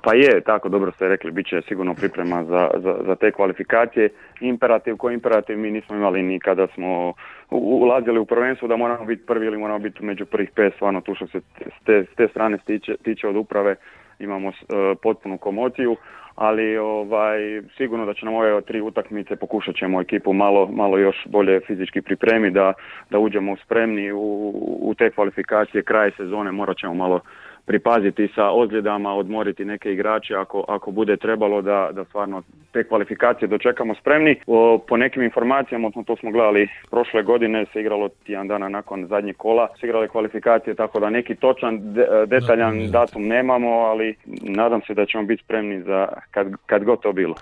Pa je, tako dobro ste rekli, bit će sigurno priprema za te kvalifikacije. Imperativ, mi nismo imali ni kada smo ulazili u prvenstvo da moramo biti prvi ili moramo biti među prvih 5, stvarno tu što se s te strane tiče od uprave imamo potpunu komociju, ali sigurno da će nam ove 3 utakmice pokušat ćemo ekipu malo još bolje fizički pripremiti da uđemo spremni u te kvalifikacije. Kraj sezone morat ćemo malo pripaziti sa ozljedama, odmoriti neke igrače ako bude trebalo da stvarno te kvalifikacije dočekamo spremni. Po nekim informacijama, to smo gledali prošle godine, se igralo tjedan dana nakon zadnjeg kola, se igrale kvalifikacije, tako da neki točan, detaljan datum nemamo, ali nadam se da ćemo biti spremni za kad god to bilo.